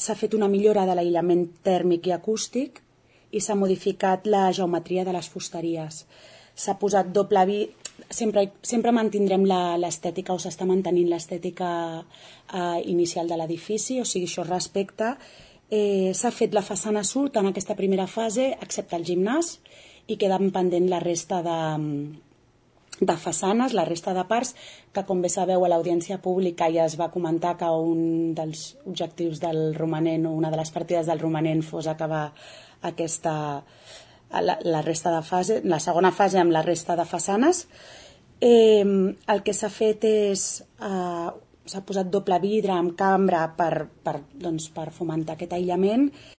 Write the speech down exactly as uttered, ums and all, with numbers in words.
s'ha fet una millora de l'aïllament tèrmic i acústic i s'ha modificat la geometria de les fusteries. S'ha posat doble vi... Sempre, sempre mantindrem l'estètica, o s'està mantenint l'estètica eh, inicial de l'edifici, o sigui, això es respecta. Eh, s'ha fet la façana sud en aquesta primera fase, excepte el gimnàs, i queden pendent la resta de, de façanes, la resta de parts, que com bé sabeu a l'audiència pública ja es va comentar que un dels objectius del romanent, o una de les partides del romanent, fos acabar aquesta... La, la resta de fase, la segona fase amb la resta de façanes. Eh, el que s'ha fet és eh, s'ha posat doble vidre amb cambra per, per, doncs, per fomentar aquest aïllament.